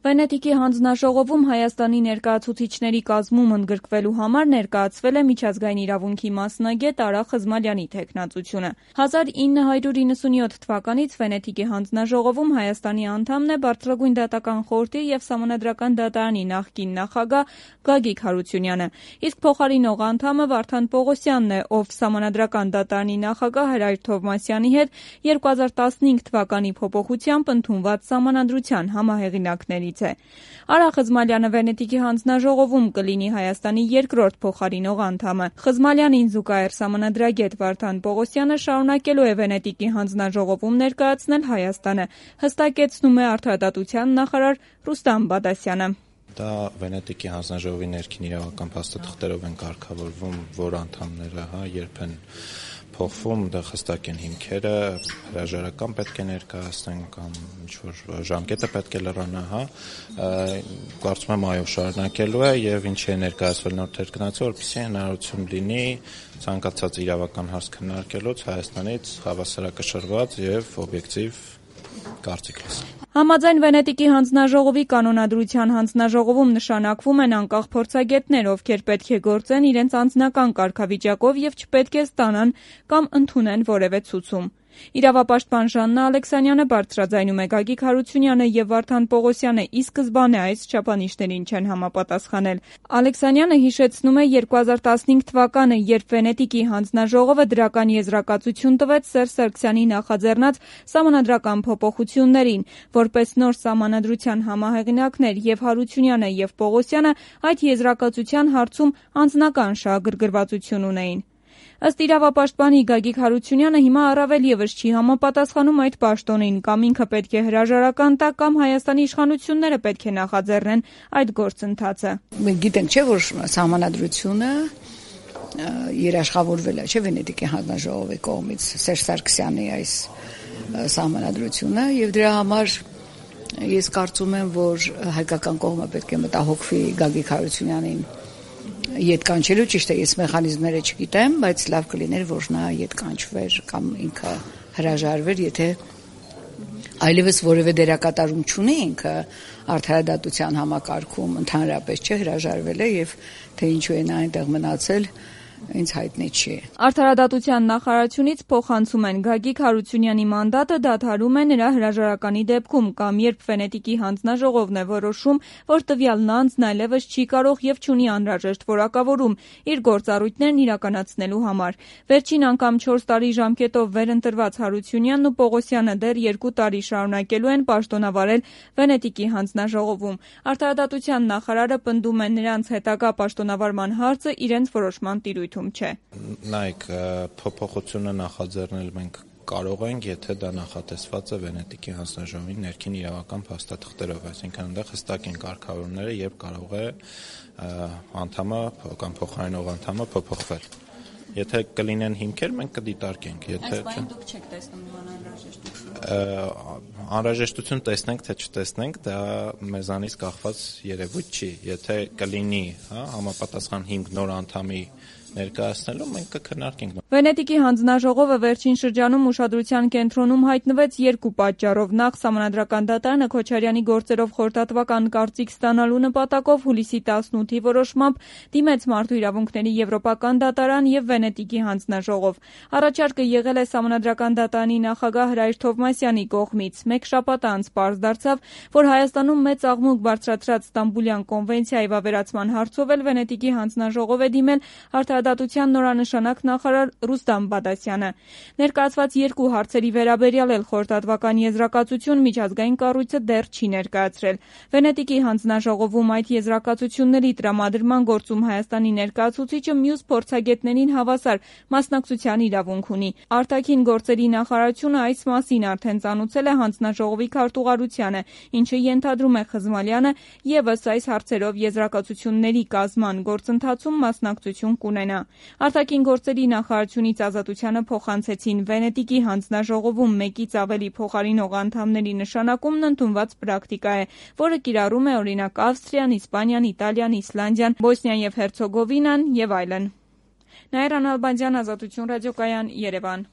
Վենետիկի հանձնաժողովում Հայաստանի ներկայացուցիչների կազմում ընդգրկվելու համար ներկայացվել է միջազգային իրավունքի մասնագետ Արա Խզմալյանի թեկնածությունը։ 1997 թվականից Վենետիկի հանձնաժողովում Հայաստանի անդամն է Բարձրագույն դատական խորհրդի եւ Սահմանադրական դատարանի նախկին նախագահ Գագիկ Հարությունյանը, իսկ փոխարինող անդամը Վարդան Պողոսյանն է, ով Սահմանադրական դատարանի նախագահ Հրայր Թովմասյանի հետ 2015 թվականի փոփոխությամբ ընդունված Սահմանադրության համահեղինակներից է։ Արա Խզմալյանը Վենետիկի հանձնաժողովում կլինի Հայաստանի երկրորդ փոխարինող անդամը։ Խզմալյանին զուգահեռ սահմանադրագետ Վարդան Պողոսյանը շարունակելու է Վենետիկի հանձնաժողովում ներկայացնել Հայաստանը, հստակեցնում է Արդարադատության նախարար Ռուստամ Բադասյանը։ Դա Վենետիկի հանձնաժողովի ներքին իրավական փաստաթղթերով են կարգավորվում, որ անդամները երբ են փոխվում, դա հստակ են հիմքերը, հրաժարական պետք է ներկայացնեն կամ ինչ-որ ժամկետը պետք է լրանա, կարծում եմ այո շարունակելու է եւ ինչի է ներկայացվել նոր թերքնացը, որպեսզի հնարավորություն լինի ցանկացած իրավական հարց քննարկելուց Հայաստանից հավասարակշռված եւ օբյեկտիվ կարծիք լսել։ Համաձայն Վենետիկի հանձնաժողովի կանոնադրության հանձնաժողովում նշանակվում են անկախ փորձագետներ, ովքեր պետք է գործեն իրենց անձնական կարգավիճակով եւ չպետք է ստանան կամ ընդունեն որևէ ցուցում։ Իրավապաշտպան Ժաննա Ալեքսանյանը բարձրաձայնում է Գագիկ Հարությունյանը եւ Վարդան Պողոսյանը ի սկզբանե այս չափանիշներին չեն համապատասխանել։ Ալեքսանյանը հիշեցնում է 2015 թվականը, երբ Վենետիկի հանձնաժողովը դրական եզրակացություն տվեց Սերժ Սարգսյանի նախաձեռնած սահմանադրական փոփոխություններին, որպես նոր սահմանադրության համահեղինակներ եւ Հարությունյանը եւ Պողոսյանը այդ եզրակացության հարցում անձնական շահագրգռվածություն ունեին։ Ըստ իրավապաշտպանի Գագիկ Հարությունյանը հիմա առավել եւս չի համապատասխանում այդ պաշտոնին, կամ ինքը պետք է հրաժարական տա, կամ Հայաստանի իշխանությունները պետք է նախաձեռնեն այդ գործընթացը։ Մենք գիտենք, չէ, որ սահմանադրությունը երաշխավորվել է, չէ, Վենետիկի հանձնաժողովի կողմից Սերժ Սարգսյանի այս սահմանադրությունը, եւ դրա համար ես կարծում եմ, որ հայկական կողմը պետք է մտահոգվի Գագիկ Հարությունյանին ետ կանչելու, ճիշտ է, ես մեխանիզմները չգիտեմ, բայց լավ կլիներ, որ նա ետ կանչվեր կամ ինքը հրաժարվեր, եթե այլևս որևէ դերակատարում չունի ինքը արդարադատության համակարգում, ընդհանրապես չէ, հրաժարվել է եւ թե ինչու է նա այնտեղ մնացել, ինձ հայտնի չի։ Արդարադատության նախարարությունից փոխանցում են Գագիկ Հարությունյանի մանդատը դադարում է նրա հրաժարականի դեպքում կամ երբ Վենետիկի հանձնաժողովն է որոշում, որ տվյալն անձն այլևս չի կարող եւ չունի անհրաժեշտ որակավորում իր գործառույթներն իրականացնելու համար։ Վերջին անգամ 4 տարի ժամկետով վերընտրված Հարությունյանն ու Պողոսյանը դեռ 2 տարի շարունակելու են պաշտոնավարել Վենետիկի հանձնաժողովում։ Արդարադատության նախարարը պնդում է նրանց հետագա պաշտոնավարման հարցը իրենց որոշման տիրույթում չէ։ Նայեք, փոփոխությունը նախաձեռնել մենք կարող ենք, եթե դա նախատեսված է Վենետիկի հանձնաժողովի ներքին իրավական փաստաթղթերով, այսինքն այնտեղ հստակ են կարգավորումները, երբ կարող է անդամը կամ փոխարինող անդամը փոփոխվել։ Եթե կլինեն հիմքեր, մենք կդիտարկենք, եթե չէ։ Դուք չեք տեսնում անհրաժեշտություն։ Անհրաժեշտություն տեսնենք, թե չտեսնենք, դա մեզանից կախված երևույթ չի։ Եթե կլինի, համապատասխան հիմք նոր անդամի ներկայացնելու, մենք կքննարկենք։ Վենետիկի հանձնաժողովը վերջին շրջանում ուշադրության կենտրոնում հայտնվեց երկու պատճառով։ Նախ Սահմանադրական դատարանը Քոչարյանի գործերով խորհրդատվական կարծիք ստանալու նպատակով հուլիսի 18-ի որոշմամբ դիմեց Մարդու իրավունքների Եվրոպական դատարան եւ Վենետիկի հանձնաժողով։ Առաջարկը եղել է Սահմանադրական դատարանի նախագահ Հրայր Թովմասյանի կողմից։ Մեկ շաբաթ անց պարզ դարձավ, որ Հայաստանում մեծ աղմուկ բարձրացրած Ստամբուլյան կոնվենցիայի վավերացման հարցով էլ Վենետիկի հանձնաժողով է դիմել Արդարադատության նորանշանակ նախարար Ռուստամ Բադասյանը։ Ներկայացված երկու հարցերի վերաբերյալ էլ խորհրդատվական եզրակացություն միջազգային կառույցը դեռ չի ներկայացրել։ Վենետիկի հանձնաժողովում այդ եզրակացությունների տրամադրման գործում Հայաստանի ներկայացուցիչը մյուս փորձագետներին հավասար մասնակցության իրավունք ունի։ Արտաքին գործերի նախարարությունը այս մասին արդեն ծանուցել է հանձնաժողովի քարտուղարությանը, ինչը ենթադրում է Խզմալյանը եւս այս հարցերով եզրակացությունների կազման գործընթացում մասնակցություն կունենա։ Արտաքին գործերի նախարարությունից Ազատությանը փոխանցեցին Վենետիկի հանձնաժողովում մեկից ավելի փոխարինող անդամների նշանակումն ընդունված պրակտիկա է, որը կիրառում է օրինակ Ավստրիան, Իսպանիան, Իտալիան, Իսլանդիան, Բոսնիան եւ Հերցեգովինան եւ այլն։ Նաիրա Նալբանդյան, Ազատություն ռադիոկայան, Երևան։